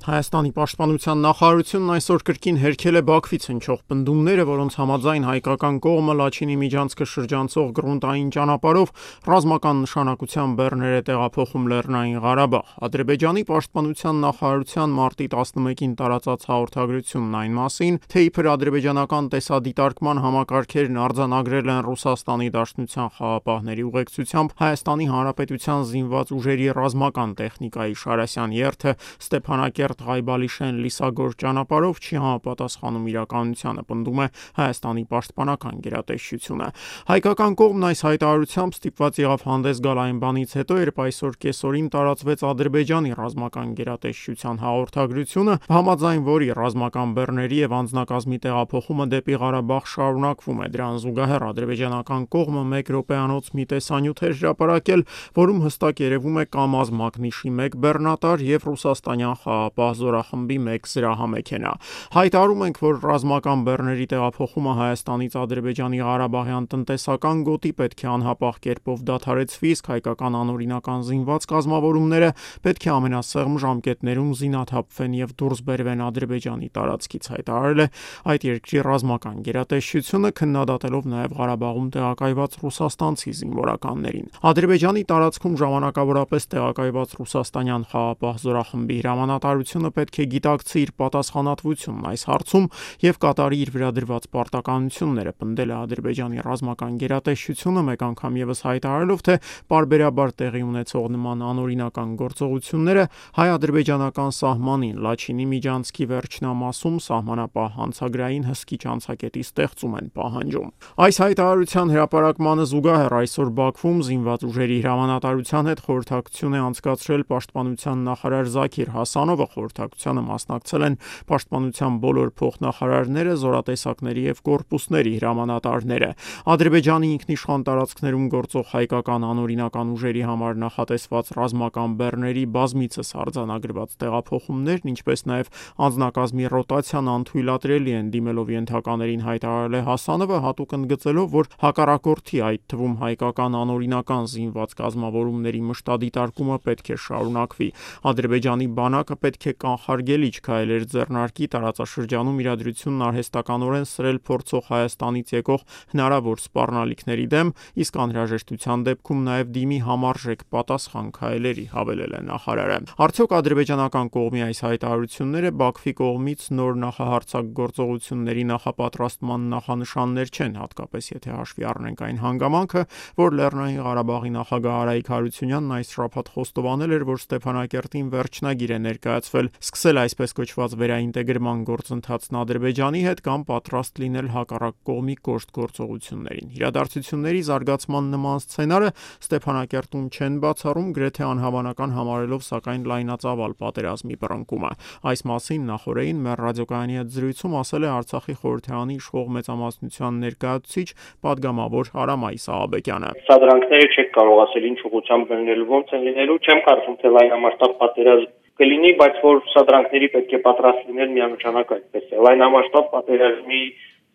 Հայաստանի պաշտպանության նախարարությունն այսօր կրկին հերքել է Բաքվից հնչող պնդումները, որոնց համաձայն հայկական կողմը Լաչինի միջանցքը շրջանցող գրունտային ճանապարհով ռազմական նշանակության բեռներ է տեղափոխում Լեռնային Ղարաբաղ։ Ադրբեջանի պաշտպանության նախարարության մարտի 11-ին տարածած հաղորդագրությունն այն մասին, թե իբր ադրբեջանական տեսադիտարկման համակարգերն արձանագրել են Ռուսաստանի Դաշնության խաղապահների ուղեկցությամբ Հայաստանի Հանրապետության զինված ուժերի ռազմական տեխնիկայի Շարասյան երթը Ստեփանակերտ-Ղայբալիշեն-Լիսագոր ճանապարհով չի համապատասխանում իրականությանը, պնդում է Հայաստանի պաշտպանական գերատեսչությունը։ Հայկական կողմն այս հայտարարությամբ ստիպված եղավ հանդես գալ այն բանից հետո, երբ այսօր կեսօրին տարածվեց Ադրբեջանի ռազմական գերատեսչության հաղորդագրությունը, համաձայն որի ռազմական բեռների եւ անձնակազմի տեղափոխումը դեպի Ղարաբաղ շարունակվում է։ Դրան զուգահեռ ադրբեջանական կողմը 1 րոպեանոց մի տեսանյութ է հրապարակել, որում հստակ երևում է Կամազ մակնիշի 1 բեռնատար եւ Ռուսաստանյան խաղապահ զորախմբի 1 զրահամեքենա։ Հայտարարում ենք, որ ռազմական բեռների տեղափոխումը Հայաստանից Ադրբեջանի Ղարաբաղյան տնտեսական գոտի պետք է անհապաղ կերպով դադարեցվի, իսկ հայկական անօրինական զինված կազմավորումները պետք է ամենասեղմ ժամկետներում զինաթափվեն եւ դուրս բերվեն Ադրբեջանի տարածքից, հայտարարել է այդ երկրի ռազմական գերատեսչությունը, քննադատելով նաեւ Ղարաբաղում տեղակայված ռուսաստանցի զինվորականներին։ Ադրբեջանի տարածքում ժամանակավորապես տեղակայված ռուսաստանյան խաղապահ զորախմբի հրամանատարությունը պետք է գիտակցի իր պատասխանատվությունն այս հարցում եւ կատարի իր վրա դրված պարտականությունները, պնդել է Ադրբեջանի ռազմական գերատեսչությունը, մեկ անգամ եւս հայտարարելով, թե պարբերաբար տեղի ունեցող նման անօրինական գործողությունները հայ-ադրբեջանական սահմանին Լաչինի միջանցքի վերջնամասում սահմանապահ հանցագրային հսկիչ անցակետի ստեղծում են պահանջում։ Այս հայտարարության հրապարակմանը զուգահեռ այսօր Բաքվում զինված ուժերի հրամանատարության հետ խորհրդակցություն է անցկացրել պաշտպանության նախարար Զաքիր Հասանովը, խորհրդակցությանը մասնակցել են պաշտպանության բոլոր փոխնախարարները, զորատեսակների եւ կորպուսների հրամանատարները։ Ադրբեջանի ինքնիշխան տարածքներում գործող հայկական անօրինական ուժերի համար նախատեսված ռազմական բեռների բազմիցս արձանագրված տեղափոխումներն, ինչպես նաեւ անձնակազմի ռոտացիան անթույլատրելի են դիմելով ենթականերին, հայտարարել է Հասանովը, հատուկ ընդգծելով, որ հակառակորդի, այդ թվում հայկական անօրինական զինված կազմավորումների մշտադիտարկումը պետք է շարունակվի։ Ադրբեջանի բանակը պետք է կանխարգելիչ քայլեր ձեռնարկի տարածաշրջանում իրադրությունն արհեստականորեն սրել փորձող Հայաստանից եկող հնարավոր սպառնալիքների դեմ, իսկ անհրաժեշտության դեպքում նաեւ դիմի համարժեք պատասխան քայլերի, հավելել է նախարարը։ Արդյոք ադրբեջանական կողմի այս հայտարարությունները Բաքվի կողմից նոր նախահարձակ գործողությունների նախապատրաստման նախանշաններ չեն, հատկապես եթե հաշվի առնենք այն հանգամանքը, որ Լեռնային Ղարաբաղի նախագահ Արայիկ Հարությունյանն այս շաբաթ խոստովանել էր, որ Ստեփանակերտին վերջնագիր է ներկայացվել սկսել այսպես կոչված վերաինտեգրման գործընթացն Ադրբեջանի հետ կամ պատրաստ լինել հակառակ կողմի կոշտ գործողություններին։ Իրադարձությունների զարգացման նման սցենարը Ստեփանակերտում չեն բացառում, գրեթե անհավանական համարելով սակայն լայնածավալ պատերազմի բռնկումը։ Այս մասին նախորդին մեր ռադիոկայանի հետ զրույցում ասել է Արցախի խորհրդարանի իշխող մեծամասնության ներկայացուցիչ պատգամավոր Արամայիս Աղաբեկյանը։ Սադրանքները չեք կարող ասել ինչ ուղղությամբ գնելու, ոնց են լինելու, չեմ կարծում թե լայնամասշտաբ պատերազմ կլինի, բայց որ սադրանքների պետք է պատրաստ լինել միանշանակ այդպես է։ Լայնամասշտաբ պատերազմի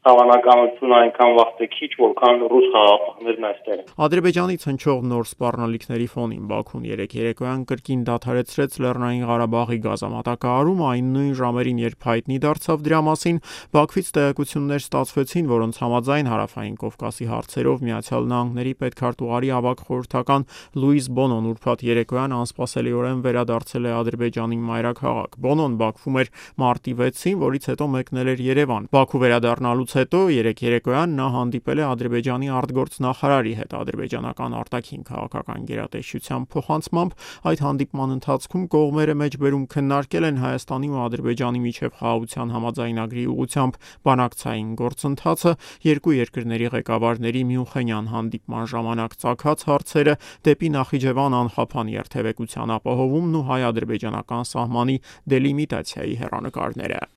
հավանականությունը այնքան վաղ է քիչ, որքան ռուս խաղապահներն այստեղ են։ Ադրբեջանից հնչող նոր սպառնալիքների ֆոնին Բաքուն երեկոյան կրկին դադարեցրեց Լեռնային Ղարաբաղի գազամատակարարումը, այն նույն ժամերին, երբ հայտնի դարձավ դրա մասին, Բաքվից տեղեկություններ ստացվեցին, որոնց համաձայն Հարավային Կովկասի հարցերով ԱՄՆ-ի պետքարտուղարի ավագ խորհրդական Լուիս Բոնոն ուրբաթ երեկոյան անսպասելիորեն վերադարձել է Ադրբեջանի մայրաքաղաք։ Բոնոն Բաքվում էր մարտի 6-ին, որից հետո մեկնել էր Երևան։ Բաքու վերադառնալուց հետո երեկոյան նա հանդիպել է Ադրբեջանի արտգործնախարարի հետ։ Ադրբեջանական արտաքին քաղաքական գերատեսչության փոխանցմամբ այդ հանդիպման ընթացքում կողմերը մեջբերում քննարկել են Հայաստանի ու Ադրբեջանի միջև խաղաղության համաձայնագրի ուղղությամբ բանակցային գործընթացը, երկու երկրների ղեկավարների Մյունխենյան հանդիպման ժամանակ ծագած հարցերը, դեպի Նախիջևան անխափան երթևեկության ապահովումն ու հայ-ադրբեջանական սահմանի դելիմիտացիայի հեռանկարները։